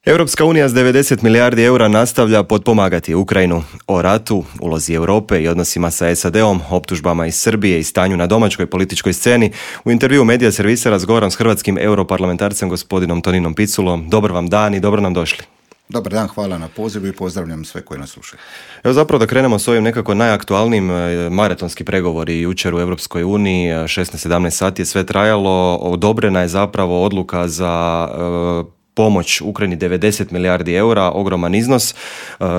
Europska unija s 90 milijardi eura nastavlja potpomagati Ukrajinu. O ratu, ulozi Europe i odnosima sa SAD-om, optužbama iz Srbije i stanju na domaćoj političkoj sceni u intervjuu Medija servisa razgovaram s hrvatskim europarlamentarcem gospodinom Toninom Piculom. Dobar vam dan i dobro nam došli. Dobar dan, hvala na pozivu i pozdravljam sve koji nas slušaju. Evo zapravo da krenemo s ovim nekako najaktualnijim maratonski pregovori jučer u Europskoj uniji, 16-17 sati je sve trajalo, odobrena je zapravo odluka za pomoć Ukrajini 90 milijardi eura, ogroman iznos.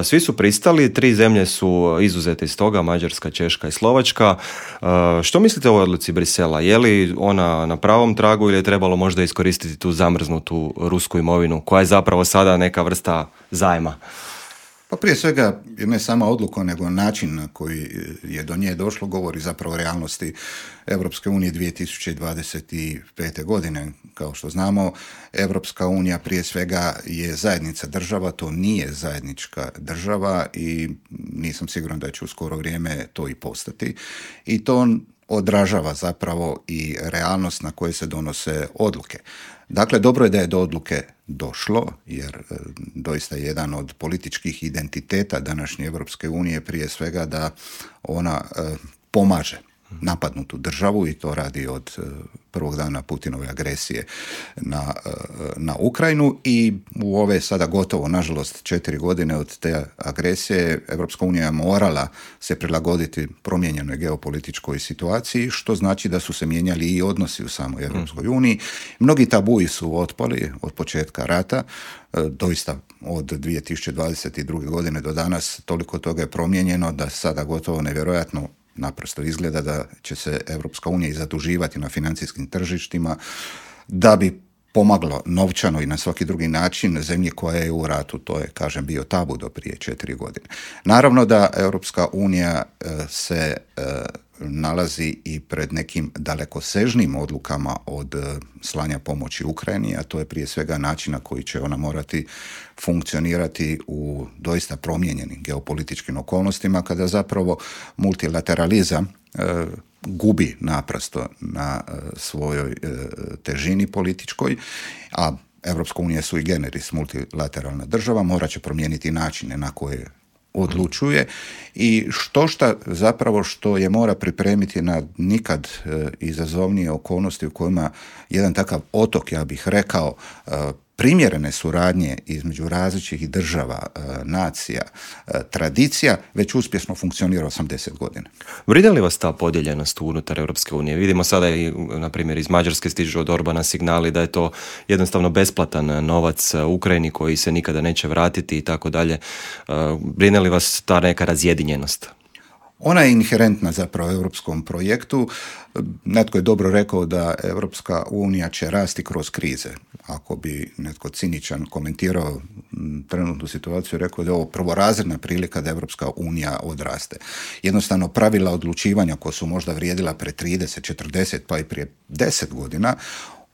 Svi su pristali, 3 zemlje su izuzete iz toga, Mađarska, Češka i Slovačka. Što mislite o ovoj odluci Brisela? Je li ona na pravom tragu ili je trebalo možda iskoristiti tu zamrznutu rusku imovinu, koja je zapravo sada neka vrsta zajma? Pa prije svega, ne sama odluka, nego način na koji je do nje došlo, govori zapravo o realnosti Europske unije 2025. godine. Kao što znamo, Europska unija prije svega je zajednica država, to nije zajednička država i nisam siguran da će u skoro vrijeme to i postati. I to odražava zapravo i realnost na koje se donose odluke. Dakle, dobro je da je do odluke došlo, jer doista je jedan od političkih identiteta današnje Europske unije prije svega da ona pomaže napadnutu državu i to radi od prvog dana Putinove agresije na Ukrajinu i u ove sada gotovo, nažalost, 4 godine od te agresije Europska unija je morala se prilagoditi promijenjenoj geopolitičkoj situaciji, što znači da su se mijenjali i odnosi u samoj Europskoj uniji. Mnogi tabuji su otpali od početka rata, doista od 2022. godine do danas toliko toga je promijenjeno da sada gotovo nevjerojatno naprosto izgleda da će se Europska unija i zaduživati na financijskim tržištima da bi pomaglo novčano i na svaki drugi način zemlji koja je u ratu. To je, kažem, bio tabu do prije 4 godine. Naravno da Europska unija se nalazi i pred nekim dalekosežnim odlukama od slanja pomoći Ukrajini, a to je prije svega način na koji će ona morati funkcionirati u doista promijenjenim geopolitičkim okolnostima, kada zapravo multilateralizam gubi naprosto na svojoj težini političkoj, a Europska unija sui generis multilateralna država, morat će promijeniti načine na koje odlučuje i zapravo što je mora pripremiti na nikad izazovnije okolnosti u kojima jedan takav otok, ja bih rekao, primjerene suradnje između različitih država, nacija, tradicija, već uspješno funkcionira 80 godina. Brine li vas ta podijeljenost unutar Europske unije? Vidimo sada i, na primjer, iz Mađarske stižu od Orbana signali da je to jednostavno besplatan novac Ukrajini koji se nikada neće vratiti i tako dalje. Brine li vas ta neka razjedinjenost? Ona je inherentna zapravo europskom projektu. Netko je dobro rekao da Europska unija će rasti kroz krize. Ako bi netko ciničan komentirao trenutnu situaciju, rekao da je ovo prvorazredna prilika da Europska unija odraste. Jednostavno pravila odlučivanja koja su možda vrijedila pre 30, 40 pa i prije 10 godina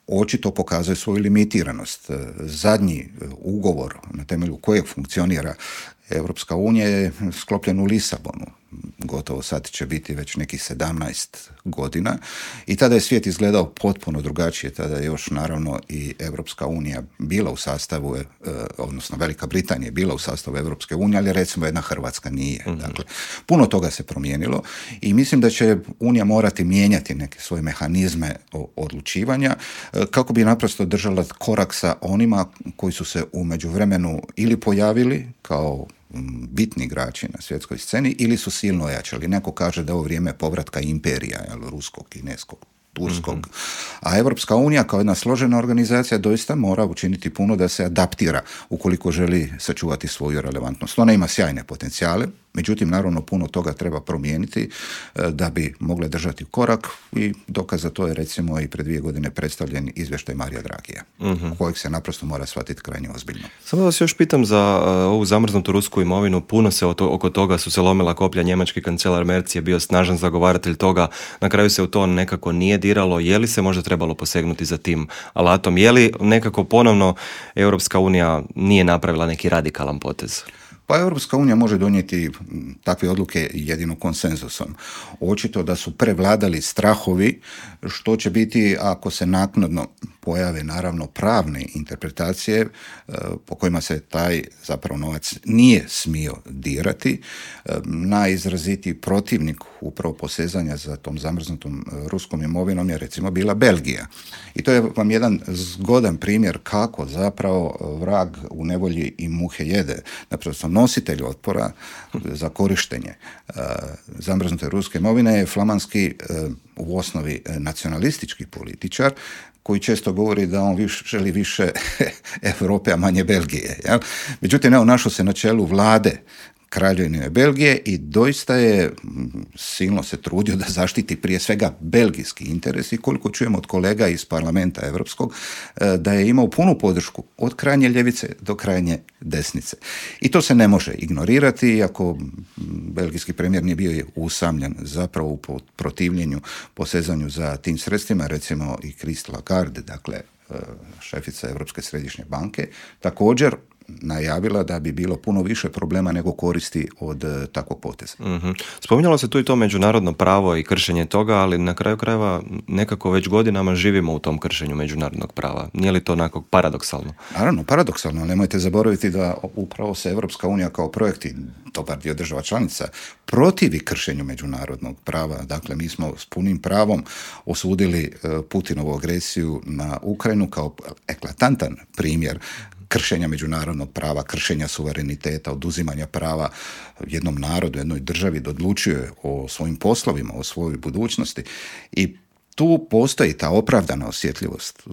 očito pokazuje svoju limitiranost. Zadnji ugovor na temelju kojeg funkcionira Europska unija je sklopljen u Lisabonu. Gotovo sad će biti već nekih 17 godina i tada je svijet izgledao potpuno drugačije. Tada je još naravno i Europska unija bila u sastavu, odnosno Velika Britanija je bila u sastavu Europske unije, ali recimo jedna Hrvatska nije. Dakle, puno toga se promijenilo i mislim da će Unija morati mijenjati neke svoje mehanizme odlučivanja kako bi naprosto držala korak sa onima koji su se u međuvremenu ili pojavili kao bitni igrači na svjetskoj sceni ili su silno ojačali. Neko kaže da je ovo vrijeme povratka imperija, ruskog, kineskog, turskog. A Europska unija kao jedna složena organizacija doista mora učiniti puno da se adaptira ukoliko želi sačuvati svoju relevantnost. Ona ima sjajne potencijale, međutim, naravno, puno toga treba promijeniti da bi mogle držati korak i dokaz za to je recimo i pred 2 godine predstavljen izvještaj Marija Dragija, kojeg se naprosto mora shvatiti krajnje ozbiljno. Samo da vas još pitam za ovu zamrznutu rusku imovinu, puno se oko toga su se lomila koplja, njemački kancelar Merz je bio snažan zagovaratelj toga, na kraju se u to nekako nije diralo, je li se možda trebalo posegnuti za tim alatom, je li nekako ponovno Europska unija nije napravila neki radikalan potez? Pa Europska unija može donijeti takve odluke jedino konsenzusom. Očito da su prevladali strahovi što će biti ako se naknadno pojave naravno pravne interpretacije po kojima se taj zapravo novac nije smio dirati. Najizrazitiji protivnik upravo posezanja za tom zamrznutom ruskom imovinom je recimo bila Belgija. I to je vam jedan zgodan primjer kako zapravo vrag u nevolji i muhe jede. Naprosto nositelj otpora za korištenje zamrznute ruske imovine je flamanski u osnovi nacionalistički političar koji često govori da on želi više Europe, a manje Belgije. Jel? Međutim, našao se na čelu vlade Kraljevine Belgije i doista je silno se trudio da zaštiti prije svega belgijski interes i koliko čujemo od kolega iz parlamenta europskog da je imao punu podršku od krajnje ljevice do krajnje desnice. I to se ne može ignorirati, iako belgijski premijer nije bio usamljen zapravo u protivljenju, posezanju za tim sredstvima, recimo i Christine Lagarde, dakle šefica Europske središnje banke, također najavila da bi bilo puno više problema nego koristi od takvog poteza. Mm-hmm. Spominjalo se tu i to međunarodno pravo i kršenje toga, ali na kraju krajeva nekako već godinama živimo u tom kršenju međunarodnog prava. Nije li to onako paradoksalno? Naravno, paradoksalno, ali nemojte zaboraviti da upravo se Europska unija kao projekt i dobar dio država članica protivi kršenju međunarodnog prava. Dakle, mi smo s punim pravom osudili Putinovu agresiju na Ukrajinu kao eklatantan primjer kršenja međunarodnog prava, kršenja suvereniteta, oduzimanja prava jednom narodu, jednoj državi da odlučuje o svojim poslovima, o svojoj budućnosti. I tu postoji ta opravdana osjetljivost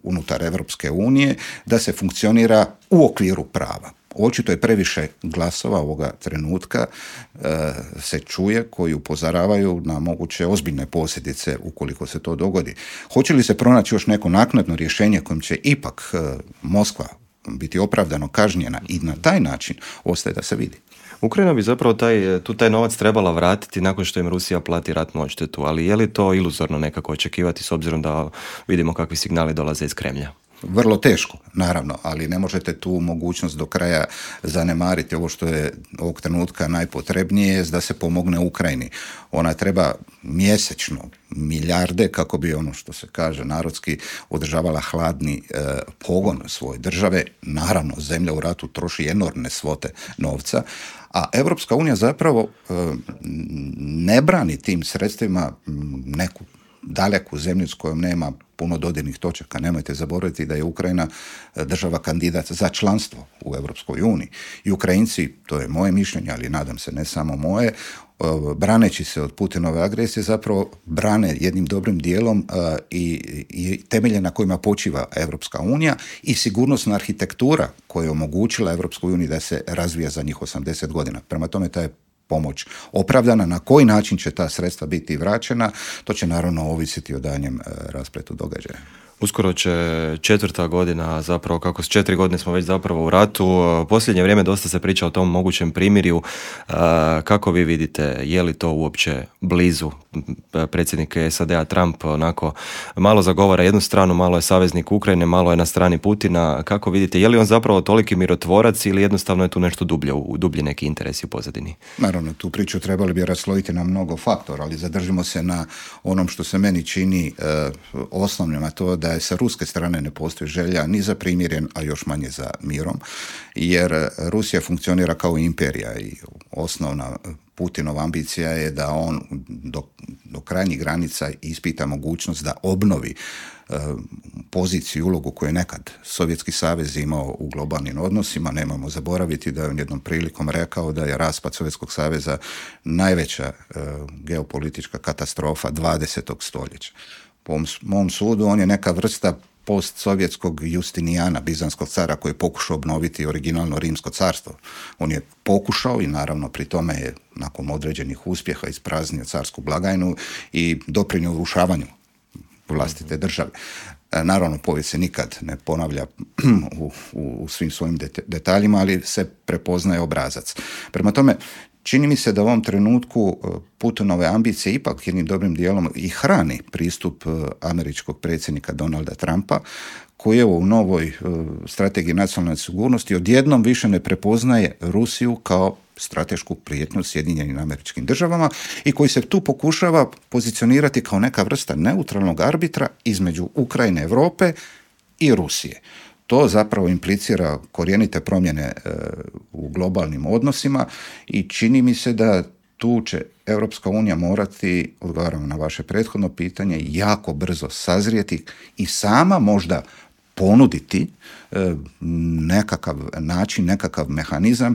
unutar Europske unije da se funkcionira u okviru prava. Očito je previše glasova ovoga trenutka se čuje koji upozoravaju na moguće ozbiljne posljedice ukoliko se to dogodi. Hoće li se pronaći još neko naknadno rješenje kojim će ipak Moskva biti opravdano kažnjena i na taj način ostaje da se vidi. Ukrajina bi zapravo taj novac trebala vratiti nakon što im Rusija plati ratnu odštetu, ali je li to iluzorno nekako očekivati s obzirom da vidimo kakvi signali dolaze iz Kremlja? Vrlo teško, naravno, ali ne možete tu mogućnost do kraja zanemariti. Ovo što je ovog trenutka najpotrebnije je da se pomogne Ukrajini. Ona treba mjesečno milijarde kako bi, ono što se kaže narodski, održavala hladni pogon svoje države. Naravno, zemlja u ratu troši enormne svote novca, a Europska unija zapravo ne brani tim sredstvima neku daleku zemlju s kojom nema puno dodirnih točaka. Nemojte zaboraviti da je Ukrajina država kandidat za članstvo u Europskoj uniji. I Ukrajinci, to je moje mišljenje, ali nadam se ne samo moje, braneći se od Putinove agresije zapravo brane jednim dobrim dijelom i temelje na kojima počiva Europska unija i sigurnosna arhitektura koja je omogućila Europskoj uniji da se razvija za njih 80 godina. Prema tome ta je pomoć opravdana. Na koji način će ta sredstva biti vraćena, to će naravno ovisiti o daljnjem raspletu događaja. Uskoro će 4. godina, zapravo kako s 4 godine smo već zapravo u ratu. Posljednje vrijeme dosta se priča o tom mogućem primirju. Kako vi vidite, je li to uopće blizu? Predsjednik SAD-a Trump onako malo zagovara jednu stranu, malo je saveznik Ukrajine, malo je na strani Putina. Kako vidite, je li on zapravo toliki mirotvorac ili jednostavno je tu nešto dublji neki interesi u pozadini? Naravno, tu priču trebali bi raslojiti na mnogo faktora, ali zadržimo se na onom što se meni čini osnovnim, a to da je sa ruske strane ne postoji želja ni za primirjem, a još manje za mirom, jer Rusija funkcionira kao imperija i osnovna Putinova ambicija je da on do krajnjih granica ispita mogućnost da obnovi poziciju i ulogu koju je nekad Sovjetski savez imao u globalnim odnosima. Nemojmo zaboraviti da je on jednom prilikom rekao da je raspad Sovjetskog saveza najveća geopolitička katastrofa 20. stoljeća. Po mom sudu on je neka vrsta postsovjetskog Justinijana, bizanskog cara koji je pokušao obnoviti originalno rimsko carstvo. On je pokušao i naravno pri tome je nakon određenih uspjeha ispraznio carsku blagajnu i doprinio urušavanju vlastite države. Naravno, povijest se nikad ne ponavlja u svim svojim detaljima, ali se prepoznaje obrazac. Prema tome, čini mi se da u ovom trenutku Putinove ambicije ipak jednim dobrim dijelom i hrani pristup američkog predsjednika Donalda Trumpa, koji je u novoj strategiji nacionalne sigurnosti odjednom više ne prepoznaje Rusiju kao stratešku prijetnju Sjedinjenim Američkim Državama i koji se tu pokušava pozicionirati kao neka vrsta neutralnog arbitra između Ukrajine, Europe i Rusije. To zapravo implicira korijenite promjene u globalnim odnosima i čini mi se da tu će Europska unija morati, odgovaramo na vaše prethodno pitanje, jako brzo sazrijeti i sama možda ponuditi nekakav način, nekakav mehanizam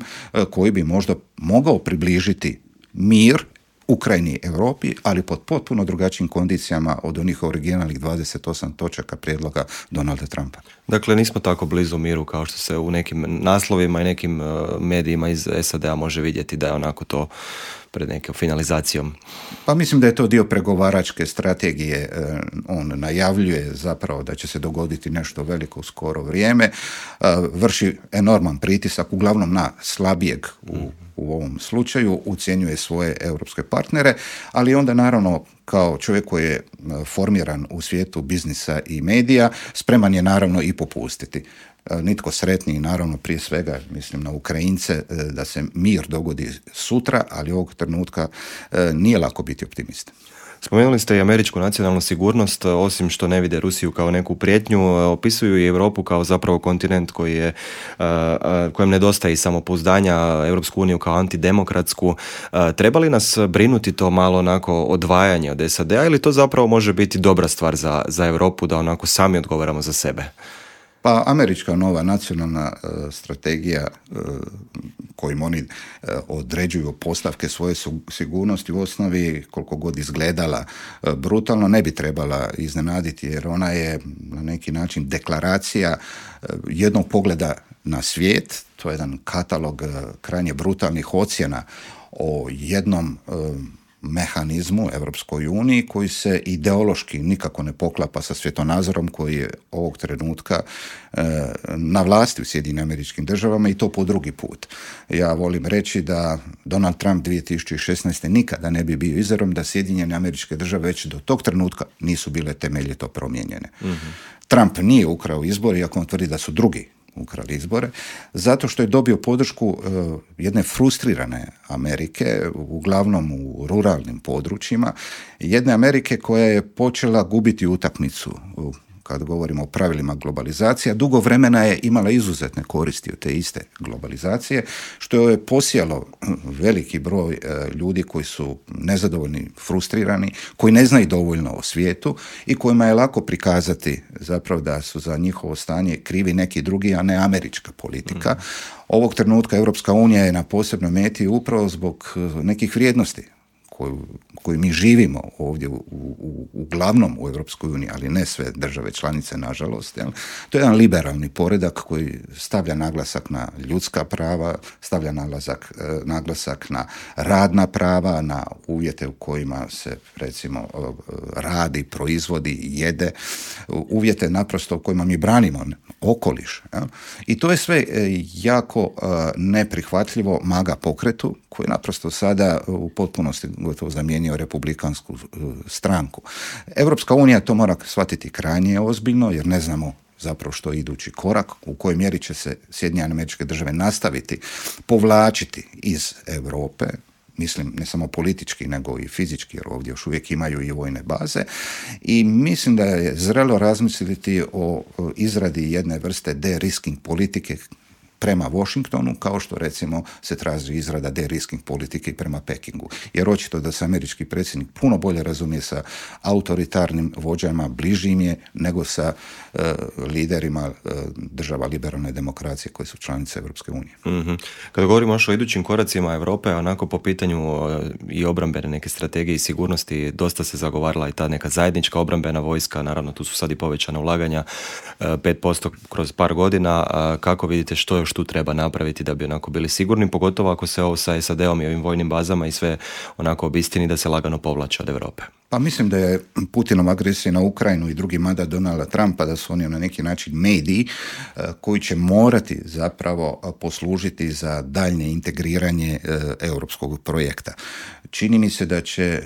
koji bi možda mogao približiti mir Ukrajini i Europi, ali pod potpuno drugačijim kondicijama od onih originalnih 28 točaka prijedloga Donalda Trumpa. Dakle, nismo tako blizu miru kao što se u nekim naslovima i nekim medijima iz SAD-a može vidjeti da je onako to pred nekom finalizacijom. Pa mislim da je to dio pregovaračke strategije. On najavljuje zapravo da će se dogoditi nešto veliko u skoro vrijeme. Vrši enorman pritisak, uglavnom na slabijeg u ovom slučaju, ucjenjuje svoje europske partnere, ali onda naravno kao čovjek koji je formiran u svijetu biznisa i medija, spreman je naravno i popustiti. Nitko sretniji, naravno prije svega mislim na Ukrajince, da se mir dogodi sutra, ali ovog trenutka nije lako biti optimista. Spomenuli ste i američku nacionalnu sigurnost, osim što ne vide Rusiju kao neku prijetnju, opisuju i Europu kao zapravo kontinent kojem nedostaje samopouzdanja, Europsku uniju kao antidemokratsku. Treba li nas brinuti to malo onako odvajanje od SAD-a ili to zapravo može biti dobra stvar za Europu da onako sami odgovaramo za sebe? Pa američka nova nacionalna strategija kojim oni određuju postavke svoje sigurnosti u osnovi, koliko god izgledala brutalno, ne bi trebala iznenaditi, jer ona je na neki način deklaracija jednog pogleda na svijet. To je jedan katalog krajnje brutalnih ocjena o jednom mehanizmu Europskoj uniji koji se ideološki nikako ne poklapa sa svjetonazorom koji je ovog trenutka na vlasti u Sjedinjenim Američkim Državama i to po drugi put. Ja volim reći da Donald Trump 2016. nikada ne bi bio izabran da Sjedinjene Američke Države već do tog trenutka nisu bile temeljito promijenjene. Mm-hmm. Trump nije ukrao izbor, iako on tvrdi da su drugi ukrali izbore, zato što je dobio podršku jedne frustrirane Amerike, uglavnom u ruralnim područjima, jedne Amerike koja je počela gubiti utakmicu kad govorimo o pravilima globalizacije, dugo vremena je imala izuzetne koristi od te iste globalizacije, što je posijalo veliki broj ljudi koji su nezadovoljni, frustrirani, koji ne znaju dovoljno o svijetu i kojima je lako prikazati zapravo da su za njihovo stanje krivi neki drugi, a ne američka politika. Ovog trenutka Europska unija je na posebnoj meti upravo zbog nekih vrijednosti koju mi živimo ovdje uglavnom u Europskoj uniji, ali ne sve države članice, nažalost. Jel? To je jedan liberalni poredak koji stavlja naglasak na ljudska prava, stavlja naglasak na radna prava, na uvjete u kojima se recimo radi, proizvodi, jede, uvjete naprosto u kojima mi branimo okoliš. Jel? I to je sve jako neprihvatljivo MAGA pokretu koji naprosto sada u potpunosti gotovo zamijenio republikansku stranku. Europska unija to mora shvatiti krajnje ozbiljno, jer ne znamo zapravo što je idući korak, u kojoj mjeri će se Sjedinjene Američke Države nastaviti povlačiti iz Europe, mislim ne samo politički nego i fizički, jer ovdje još uvijek imaju i vojne baze, i mislim da je zrelo razmisliti o izradi jedne vrste de-risking politike prema Washingtonu, kao što recimo se traži izrada de-risking politike prema Pekingu. Jer očito da se američki predsjednik puno bolje razumije sa autoritarnim vođama, bližim je nego sa liderima država liberalne demokracije koje su članice Europske unije. Mm-hmm. Kada govorimo još o idućim koracima Europe, onako po pitanju i obrambene neke strategije i sigurnosti, dosta se zagovarala i ta neka zajednička obrambena vojska, naravno tu su sad i povećana ulaganja, 5% kroz par godina. Kako vidite što još još tu treba napraviti da bi onako bili sigurni, pogotovo ako se ovo sa SAD-om i ovim vojnim bazama i sve onako obistini da se lagano povlače od Europe. Pa mislim da je Putinov agresija na Ukrajinu i drugi mandat Donalda Trumpa, da su oni na neki način mediji koji će morati zapravo poslužiti za daljnje integriranje europskog projekta. Čini mi se da će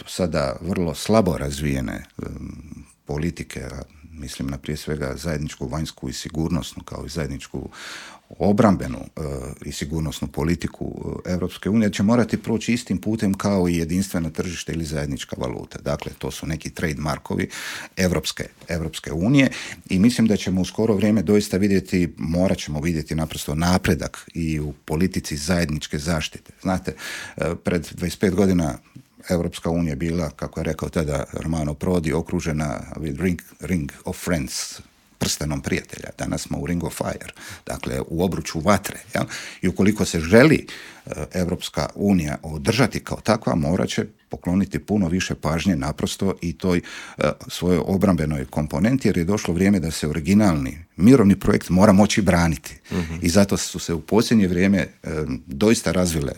sada vrlo slabo razvijene politike, mislim na prije svega zajedničku vanjsku i sigurnosnu, kao i zajedničku obrambenu i sigurnosnu politiku Europske unije, će morati proći istim putem kao i jedinstveno tržište ili zajednička valuta. Dakle, to su neki trademarkovi Europske unije i mislim da ćemo u skoro vrijeme doista morat ćemo vidjeti naprosto napredak i u politici zajedničke zaštite. Znate, pred 25 godina Europska unija bila, kako je rekao tada Romano Prodi, okružena with ring of friends, prstenom prijatelja. Danas smo u ring of fire, dakle u obruču vatre. Ja? I ukoliko se želi Europska unija održati kao takva, morat će pokloniti puno više pažnje naprosto i toj svojoj obrambenoj komponenti, jer je došlo vrijeme da se originalni mirovni projekt mora moći braniti. Mm-hmm. I zato su se u posljednje vrijeme doista razvile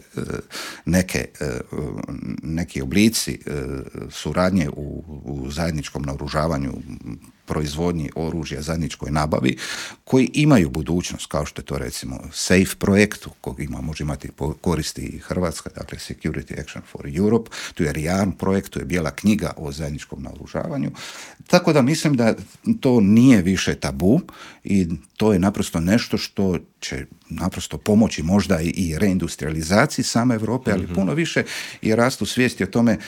neki oblici suradnje u zajedničkom naoružavanju, proizvodnji oružja, zajedničkoj nabavi, koji imaju budućnost, kao što je to recimo SAFE projekt, kog može imati koristi i Hrvatska, dakle Security Action for Europe, tu je REARM projekt, tu je bijela knjiga o zajedničkom naoružavanju. Tako da mislim da to nije više tabu i to je naprosto nešto što će naprosto pomoći možda i reindustrializaciji same Europe, ali puno više i rastu svijesti o tome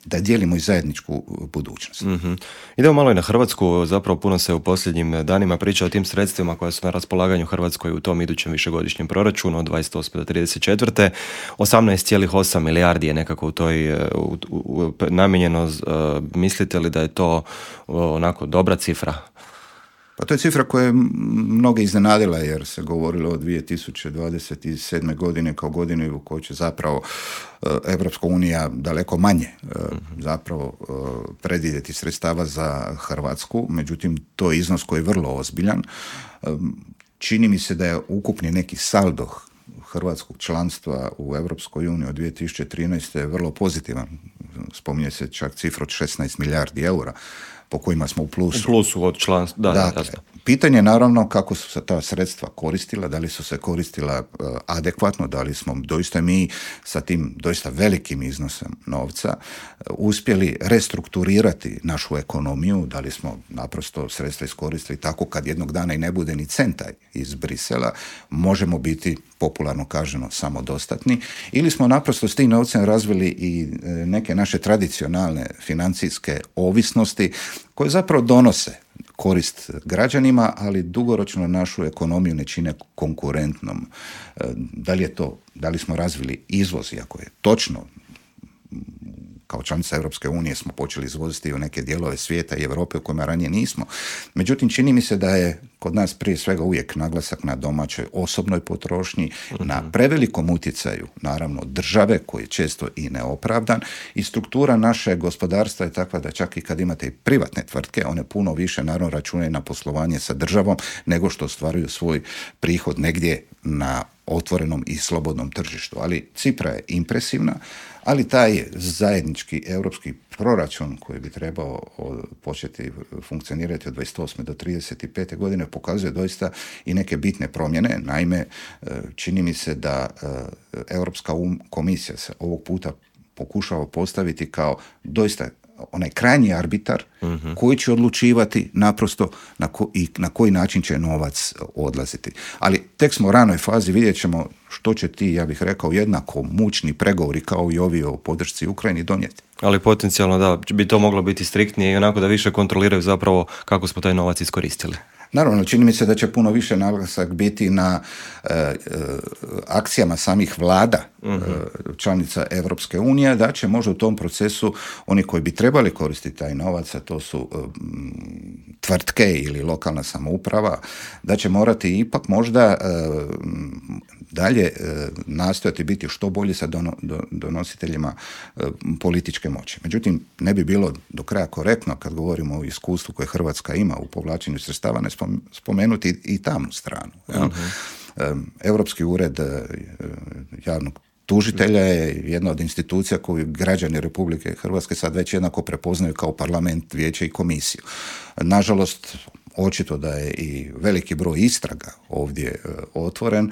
da dijelimo i zajedničku budućnost. Mm-hmm. Idemo malo i na Hrvatsku, zapravo puno se u posljednjim danima priča o tim sredstvima koja su na raspolaganju Hrvatskoj u tom idućem višegodišnjem proračunu od 28. do 34. 18,8 milijardi je nekako u toj namijenjeno. Mislite li da je to onako dobra cifra? Pa to je cifra koja je mnoge iznenadila, jer se govorilo o 2027. godine kao godini u kojoj će zapravo Evropska unija daleko manje zapravo predvidjeti sredstava za Hrvatsku. Međutim, to je iznos koji je vrlo ozbiljan. Čini mi se da je ukupni neki saldo hrvatskog članstva u Europskoj uniji od 2013. je vrlo pozitivan. Spominje se čak cifra od 16 milijardi eura po kojima smo u plusu. U plusu od članstva, dakle, pitanje je naravno kako su se ta sredstva koristila, da li su se koristila adekvatno, da li smo doista mi sa tim doista velikim iznosom novca uspjeli restrukturirati našu ekonomiju, da li smo naprosto sredstva iskoristili tako kad jednog dana i ne bude ni centa iz Brisela, možemo biti popularno kaženo samodostatni, ili smo naprosto s tim novcem razvili i neke naše tradicionalne financijske ovisnosti koje zapravo donose korist građanima, ali dugoročno našu ekonomiju ne čine konkurentnom. Da li smo razvili izvoz, iako je točno, kao članica Europske unije smo počeli izvoziti u neke dijelove svijeta i Europe u kojima ranije nismo. Međutim, čini mi se da je kod nas prije svega uvijek naglasak na domaćoj osobnoj potrošnji, na prevelikom utjecaju, naravno, države, koji je često i neopravdan, i struktura naše gospodarstva je takva da čak i kad imate i privatne tvrtke, one puno više naravno računaju na poslovanje sa državom nego što ostvaruju svoj prihod negdje na otvorenom i slobodnom tržištu. Ali cifra je impresivna, ali taj zajednički europski proračun koji bi trebao početi funkcionirati od 28. do 35. godine pokazuje doista i neke bitne promjene. Naime, čini mi se da Europska komisija se ovog puta pokušava postaviti kao doista onaj krajnji arbitar koji će odlučivati naprosto na koji način će novac odlaziti. Ali tek smo u ranoj fazi, vidjet ćemo što će ti, ja bih rekao, jednako mučni pregovori kao i ovi o podršci Ukrajini donijeti. Ali potencijalno da bi to moglo biti striktnije i onako da više kontroliraju zapravo kako smo taj novac iskoristili. Naravno, čini mi se da će puno više naglasak biti na akcijama samih vlada članica Europske unije, da će možda u tom procesu oni koji bi trebali koristiti taj novac, a to su tvrtke ili lokalna samouprava, da će morati ipak možda dalje nastojati biti što bolji sa donositeljima političke moći. Međutim, ne bi bilo do kraja korektno kad govorimo o iskustvu koje Hrvatska ima u povlačenju sredstava ne spomenuti i tamnu stranu. Europski ured javnog tužitelja je jedna od institucija koju građani Republike Hrvatske sad već jednako prepoznaju kao parlament, vijeće i komisiju. Nažalost, očito da je i veliki broj istraga ovdje otvoren,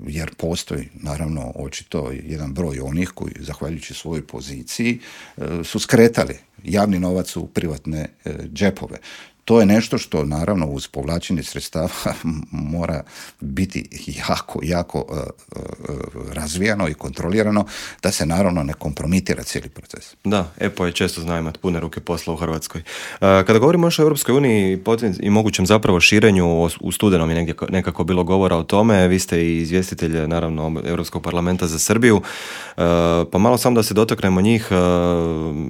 jer postoji, naravno, očito jedan broj onih koji, zahvaljujući svojoj poziciji, su skretali javni novac u privatne džepove. To je nešto što, naravno, uz povlačenje sredstava mora biti jako razvijano i kontrolirano, da se, naravno, ne kompromitira cijeli proces. Da, EPO je često zna imati pune ruke posla u Hrvatskoj. Kada govorimo još o Europskoj uniji i mogućem zapravo širenju, u studenom je negdje nekako bilo govora o tome, vi ste i izvjestitelj, naravno, Europskog parlamenta za Srbiju, pa malo samo da se dotaknemo njih.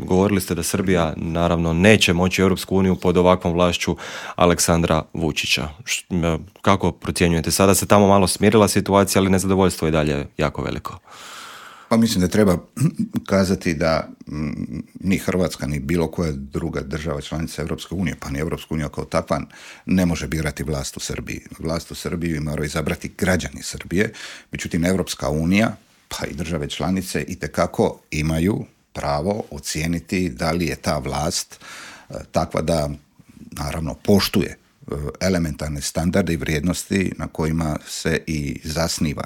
Govorili ste da Srbija, naravno, neće moći Europsku uniju pod ovakvom vlašću Aleksandra Vučića. Kako procjenjujete? Sada se tamo malo smirila situacija, ali nezadovoljstvo je dalje jako veliko. Pa mislim da treba kazati da ni Hrvatska, ni bilo koja druga država članica Europske unije, pa ni Europska unija kao takva, ne može birati vlast u Srbiji. Vlast u Srbiji moraju izabrati građani Srbije, međutim Europska unija, pa i države članice itekako imaju pravo ocijeniti da li je ta vlast takva da, naravno, poštuje elementarne standarde i vrijednosti na kojima se i zasniva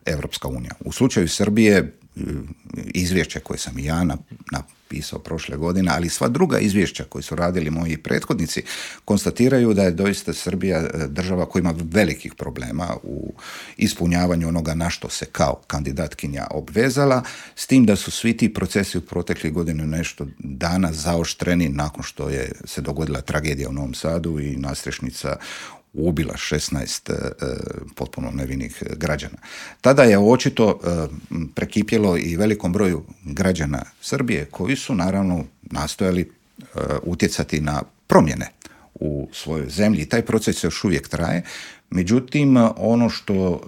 Europska unija. U slučaju Srbije, izvješće koje sam i ja napisao prošle godine, ali i sva druga izvješća koje su radili moji prethodnici, konstatiraju da je doista Srbija država koja ima velikih problema u ispunjavanju onoga na što se kao kandidatkinja obvezala, s tim da su svi ti procesi u proteklih godinu nešto dana zaoštreni nakon što je se dogodila tragedija u Novom Sadu i nastrešnica ubila 16 potpuno nevinih građana. Tada je očito prekipjelo i velikom broju građana Srbije koji su, naravno, nastojali utjecati na promjene u svojoj zemlji i taj proces još uvijek traje. Međutim, ono što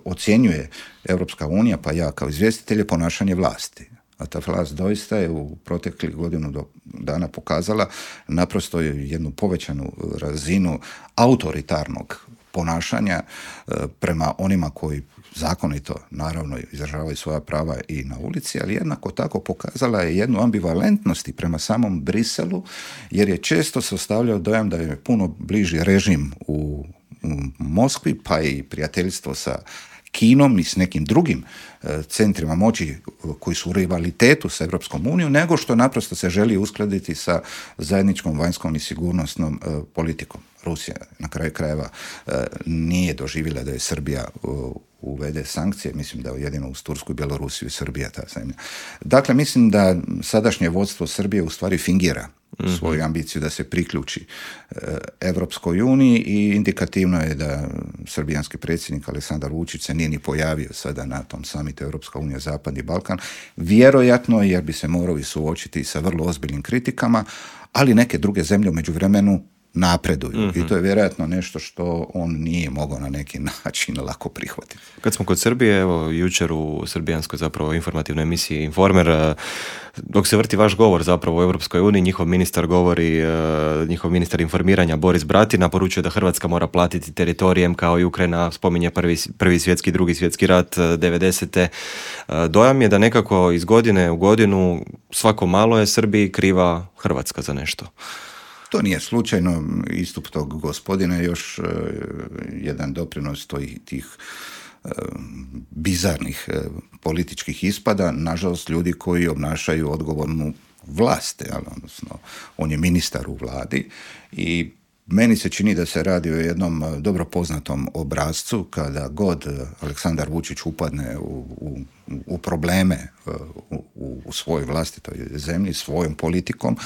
ocjenjuje Europska unija, pa ja kao izvjestitelj, je ponašanje vlasti. A ta vlast doista je u proteklih godinu dana pokazala naprosto jednu povećanu razinu autoritarnog ponašanja prema onima koji zakonito, naravno, izražavaju svoja prava i na ulici, ali jednako tako pokazala je jednu ambivalentnost i prema samom Briselu, jer je često se ostavljao dojam da je puno bliži režim u Moskvi, pa i prijateljstvo sa Kinom i s nekim drugim centrima moći koji su u rivalitetu sa Europskom unijom, nego što naprosto se želi uskladiti sa zajedničkom vanjskom i sigurnosnom politikom. Rusija, na kraju krajeva, nije doživjela da je Srbija uvede sankcije, mislim da jedino uz Tursku i Bjelorusiju i Srbija ta zemlja. Dakle, mislim da sadašnje vodstvo Srbije u stvari fingira svoju ambiciju da se priključi Europskoj uniji i indikativno je da srbijanski predsjednik Aleksandar Vučić se nije ni pojavio sada na tom samitu Europska unija Zapadni Balkan, vjerojatno jer bi se morao i suočiti sa vrlo ozbiljnim kritikama, ali neke druge zemlje u međuvremenu napreduju. I to je vjerojatno nešto što on nije mogao na neki način lako prihvatiti. Kad smo kod Srbije, evo, jučer u srbijanskoj zapravo informativnoj emisiji Informer, dok se vrti vaš govor zapravo u Europskoj uniji, njihov ministar informiranja Boris Bratina poručuje da Hrvatska mora platiti teritorijem kao i Ukrajina, spominje prvi svjetski, drugi svjetski rat 90. Dojam je da nekako iz godine u godinu svako malo je Srbiji kriva Hrvatska za nešto. To nije slučajno, istup tog gospodina je još jedan doprinos tih bizarnih političkih ispada, nažalost ljudi koji obnašaju odgovornu vlast, odnosno on je ministar u vladi i meni se čini da se radi o jednom dobro poznatom obrascu kada god Aleksandar Vučić upadne u probleme u svojoj vlastitoj zemlji, svojom politikom,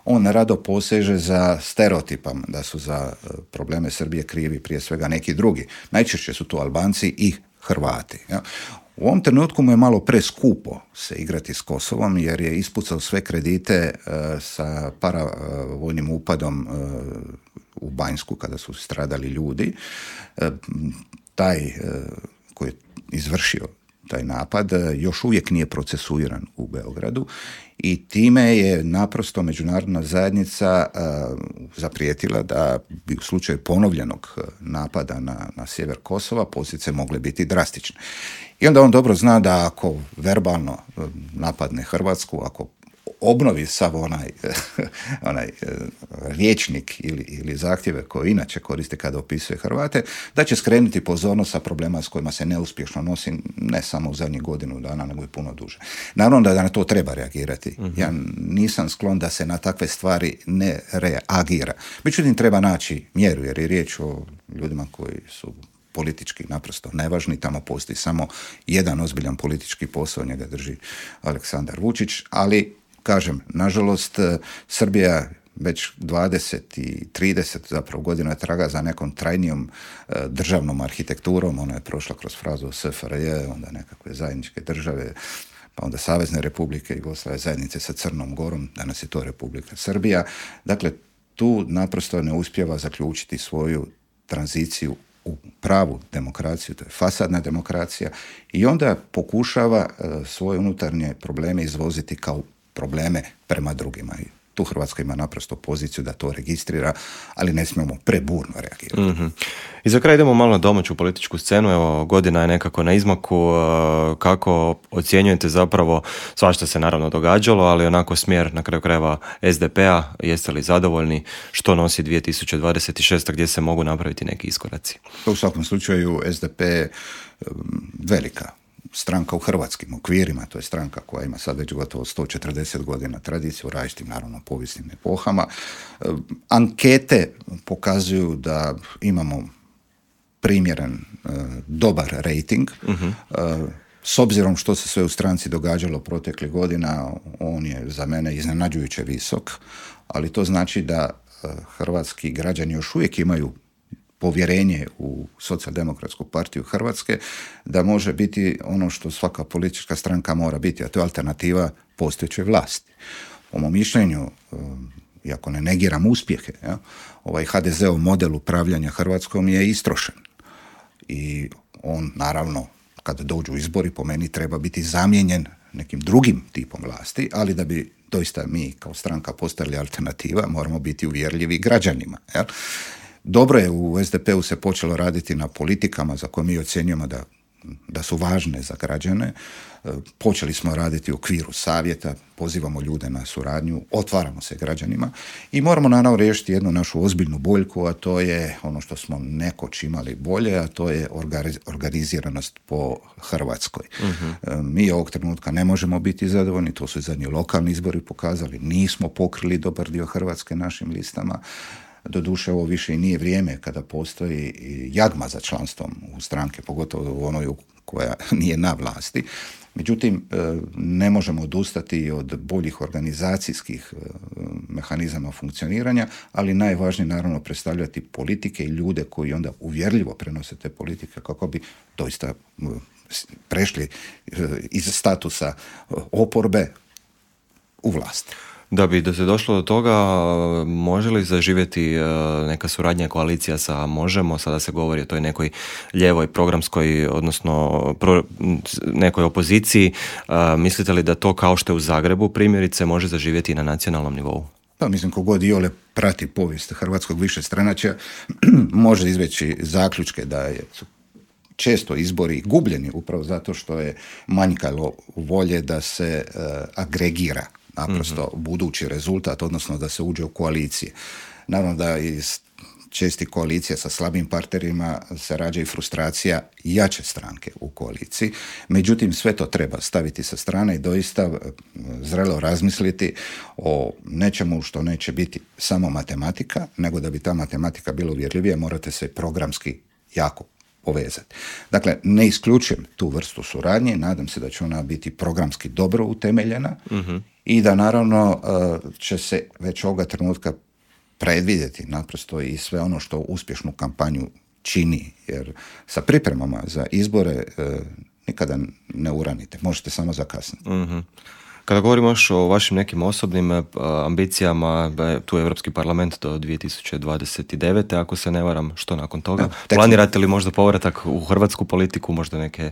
on rado poseže za stereotipom da su za probleme Srbije krivi prije svega neki drugi. Najčešće su to Albanci i Hrvati. Ja. U ovom trenutku mu je malo preskupo se igrati s Kosovom jer je ispucao sve kredite sa paravojnim upadom u Banjsku kada su stradali ljudi. Taj koji je izvršio taj napad, još uvijek nije procesuiran u Beogradu i time je naprosto međunarodna zajednica zaprijetila da bi u slučaju ponovljenog napada na sjever Kosova posljedice mogle biti drastične. I onda on dobro zna da ako verbalno napadne Hrvatsku, ako obnovi sav onaj rječnik ili zahtjeve koje inače koriste kada opisuje Hrvate, da će skrenuti pozornost sa problema s kojima se neuspješno nosi ne samo u zadnjih godinu dana, nego i puno duže. Naravno da na to treba reagirati. Ja nisam sklon da se na takve stvari ne reagira. Međutim, treba naći mjeru, jer je riječ o ljudima koji su politički naprosto nevažni, tamo postoji samo jedan ozbiljan politički posao, njega drži Aleksandar Vučić, ali kažem, nažalost, Srbija već 20 i 30 zapravo godina traga za nekom trajnijom državnom arhitekturom. Ona je prošla kroz frazu SFRJ, onda nekakve zajedničke države, pa onda Savezne republike Jugoslavije, zajednice sa Crnom Gorom, danas je to Republika Srbija. Dakle, tu naprosto ne uspijeva zaključiti svoju tranziciju u pravu demokraciju, to je fasadna demokracija, i onda pokušava svoje unutarnje probleme izvoziti kao probleme prema drugima. I tu Hrvatska ima naprosto poziciju da to registrira, ali ne smijemo preburno reagirati. Mm-hmm. I za kraj idemo malo na domaću političku scenu. Evo, godina je nekako na izmaku. Kako ocjenjujete zapravo, svašta se naravno događalo, ali onako smjer na kraju krajeva SDP-a, jeste li zadovoljni, što nosi 2026. gdje se mogu napraviti neki iskoraci? U svakom slučaju SDP je velika stranka u hrvatskim okvirima, to je stranka koja ima sad već gotovo 140 godina tradiciju, različitim naravno povijesnim epohama. Ankete pokazuju da imamo primjeren, dobar rating. Uh-huh. S obzirom što se sve u stranci događalo proteklih godina, on je za mene iznenađujuće visok, ali to znači da hrvatski građani još uvijek imaju povjerenje u Socijaldemokratsku partiju Hrvatske, da može biti ono što svaka politička stranka mora biti, a to je alternativa postojećoj vlasti. Po mom mišljenju, iako ne negiram uspjehe, ovaj HDZ-ov model upravljanja Hrvatskom je istrošen. I on, naravno, kada dođu izbori, po meni treba biti zamijenjen nekim drugim tipom vlasti, ali da bi doista mi kao stranka postali alternativa, moramo biti uvjerljivi građanima. Jel? Dobro je, u SDP-u se počelo raditi na politikama za koje mi ocjenjujemo da su važne za građane. Počeli smo raditi u okviru savjeta, pozivamo ljude na suradnju, otvaramo se građanima i moramo naravno riješiti jednu našu ozbiljnu boljku, a to je ono što smo nekoć imali bolje, a to je organiziranost po Hrvatskoj. Uh-huh. Mi ovog trenutka ne možemo biti zadovoljni, to su i zadnji lokalni izbori pokazali, nismo pokrili dobar dio Hrvatske našim listama. Doduše, ovo više i nije vrijeme kada postoji jagma za članstvom u stranke, pogotovo u onoj koja nije na vlasti. Međutim, ne možemo odustati od boljih organizacijskih mehanizama funkcioniranja, ali najvažnije naravno predstavljati politike i ljude koji onda uvjerljivo prenose te politike kako bi doista prešli iz statusa oporbe u vlast. Da bi se došlo do toga, može li zaživjeti neka suradnja, koalicija sa Možemo? Sada se govori o toj nekoj lijevoj programskoj, odnosno nekoj opoziciji. Mislite li da to, kao što je u Zagrebu primjerice, može zaživjeti i na nacionalnom nivou? Pa mislim, kogod iole prati povijest hrvatskog višestranačja može izveći zaključke da su često izbori gubljeni upravo zato što je manjkalo volje da se agregira naprosto budući rezultat, odnosno da se uđe u koalicije. Naravno da iz čestih koalicija sa slabim partnerima se rađa i frustracija jače stranke u koaliciji. Međutim, sve to treba staviti sa strane i doista zrelo razmisliti o nečemu što neće biti samo matematika, nego da bi ta matematika bila uvjerljivija, morate se programski jako povezati. Dakle, ne isključujem tu vrstu suradnje, nadam se da će ona biti programski dobro utemeljena i da naravno će se već ovoga trenutka predvidjeti naprosto i sve ono što uspješnu kampanju čini, jer sa pripremama za izbore nikada ne uranite, možete samo zakasniti. Kada govorimo još o vašim nekim osobnim ambicijama, tu je Europski parlament do 2029. Ako se ne varam, što nakon toga? Planirate li možda povratak u hrvatsku politiku, možda neke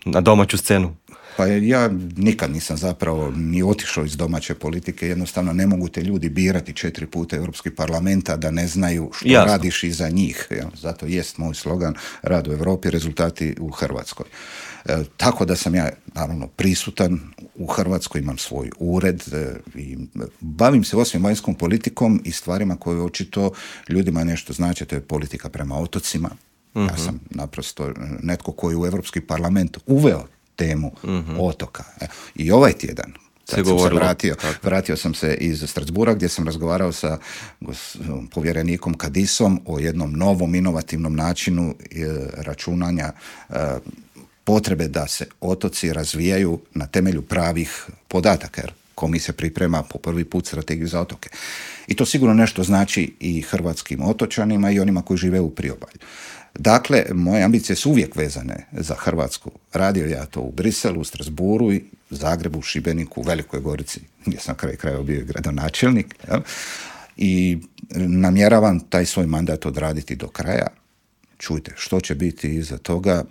na domaću scenu? Pa ja nikad nisam zapravo ni otišao iz domaće politike, jednostavno ne mogu te ljudi birati 4 puta Europski parlamenta da ne znaju što Jasno. radiš iza njih. Zato jest moj slogan rad u Europi, rezultati u Hrvatskoj. Tako da sam ja naravno prisutan u Hrvatskoj, imam svoj ured i bavim se osim vanjskom politikom i stvarima koje očito ljudima nešto znači, to je politika prema otocima. Ja sam naprosto netko koji u Europski parlament uveo temu otoka. I ovaj tjedan kad sam se vratio sam se iz Strasbourga gdje sam razgovarao sa povjerenikom Kadisom o jednom novom inovativnom načinu računanja potrebe da se otoci razvijaju na temelju pravih podataka, jer komisija priprema po prvi put strategiju za otoke. I to sigurno nešto znači i hrvatskim otočanima i onima koji žive u priobalju. Dakle, moje ambicije su uvijek vezane za Hrvatsku. Radio ja to u Briselu, u Strasbourgu, i Zagrebu, Šibeniku, u Velikoj Gorici, gdje sam kraj krajeva bio gradonačelnik. Ja? I namjeravam taj svoj mandat odraditi do kraja. Čujte, što će biti iza toga,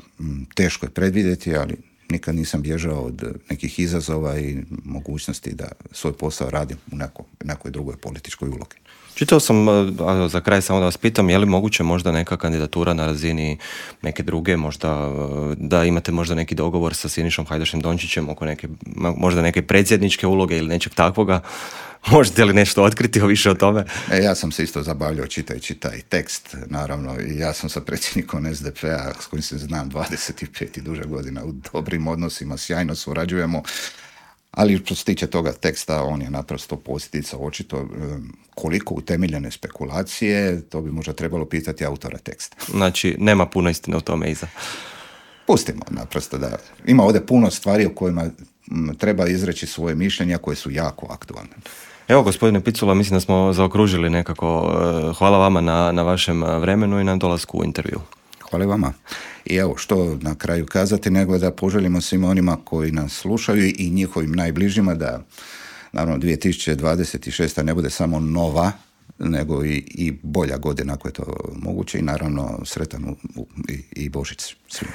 teško je predvidjeti, ali nikad nisam bježao od nekih izazova i mogućnosti da svoj posao radim u nekoj drugoj političkoj ulogi. Čitao sam, za kraj samo da vas pitam, je li moguće možda neka kandidatura na razini neke druge, možda da imate možda neki dogovor sa Sinišom Hajdašem Dončićem oko možda neke predsjedničke uloge ili nečeg takvoga? Možete li nešto otkriti više o tome? Ja sam se isto zabavljao čitajući taj tekst, naravno, i ja sam sa predsjednikom SDP-a, s kojim se znam 25 i duže godina u dobrim odnosima, sjajno surađujemo, ali što se tiče toga teksta, on je naprosto posljedica očito koliko utemeljene spekulacije, to bi možda trebalo pitati autora teksta. Znači, nema puno istine u tome iza. Pustimo naprosto da ima ovdje puno stvari o kojima treba izreći svoje mišljenja koje su jako aktualne. Evo, gospodine Picula, mislim da smo zaokružili nekako. Hvala vama na vašem vremenu i na dolasku u intervju. Hvala vama. I evo, što na kraju kazati, nego da poželimo svima onima koji nas slušaju i njihovim najbližima da, naravno, 2026. ne bude samo nova, nego i bolja godina ako je to moguće, i naravno sretan i Božić svima.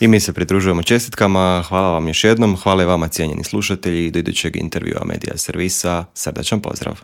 I mi se pridružujemo čestitkama, hvala vam još jednom, hvala i vama cijenjeni slušatelji, do idućeg intervjua Medija servisa, srdačan pozdrav.